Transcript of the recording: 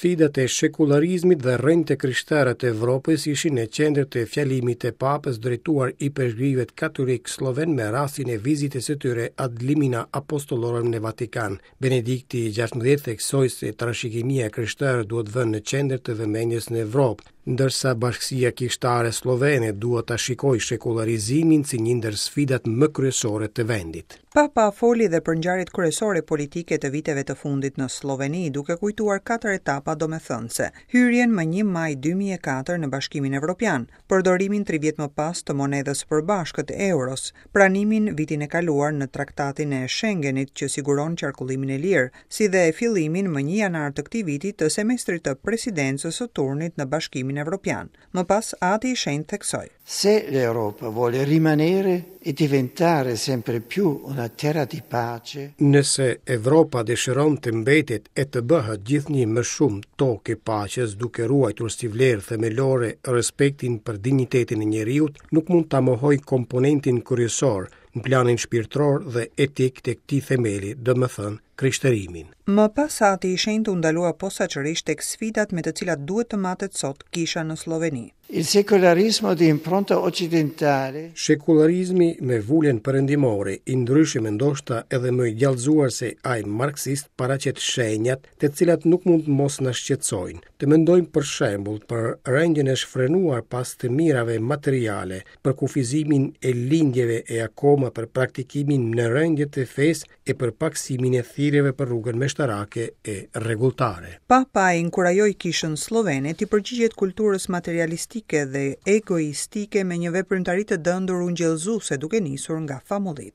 Sfidat e shekullarizmit dhe rrënjët e krishtere të Evropës ishin në qendër të fjalimit të Papës drejtuar ipeshkvijve katolikë sllovenë me rastin e vizitës së tyre ad limina apostolorum në Vatikan. Benedikti XVI theksoi se trashëgimia e krishterë duhet vënë në qendër të vëmendjes në Evropë, ndërsa bashkësia kishtare sllovene duhet ta shikojë shekullarizimin si një ndër sfidat më kryesore të vendit. Papa foli dhe për ngjarjet kryesore politike të viteve të fundit në Slloveni, duke kujtuar katër etapa domethënëse: hyrjen më 1 maj 2004 në Bashkimin Evropian, përdorimin tri vjet më pas të monedhës së përbashkët, euros, pranimin vitin e kaluar në Traktatin e Schengenit që siguron qarkullimin e lirë, si dhe fillimin më 1 janar të këtij viti të semestrit të presidencës së turnit në Bashkimin Evropian. Më pas, Ati i Shenjtë theksoi. Se l'Europa vuole rimanere e diventare sempre più una terra di pace, Nëse Evropa dëshiron të mbetet e të bëhet gjithnjë më shumë tokë e paqes duke ruajtur si vlerë themelore respektin për dinjitetin e njeriut, nuk mund ta mohojë komponentin kryesor në planin shpirtëror dhe etik të këtij themeli, domethënë krishterimin. Më pas Ati i Shenjtë u ndalua posaçërisht tek sfidat me të cilat duhet të matet sot kisha në Slloveni. Il secolarismo di impronta occidentale Shekullarizmi me vulën perëndimore, i ndryshëm e ndoshta edhe më i djallëzuar se ai marksist, paraqet shenjat, të cilat nuk mund të mos na shqetësojnë. Të mendojmë për shembull për rendjen e shfrenuar pas të mirave materiale, për kufizimin e lindjeve e akoma për praktikimin në rendje të fesë e për pakësimin e thirrjeve për rrugën meshtarake e rregulltare. Papa e inkurajoi kishën sllovene t'i përgjigjet kulturës materialistike dhe egoistike me një veprimtari të dëndur ungjillëzuese duke nisur nga famullitë.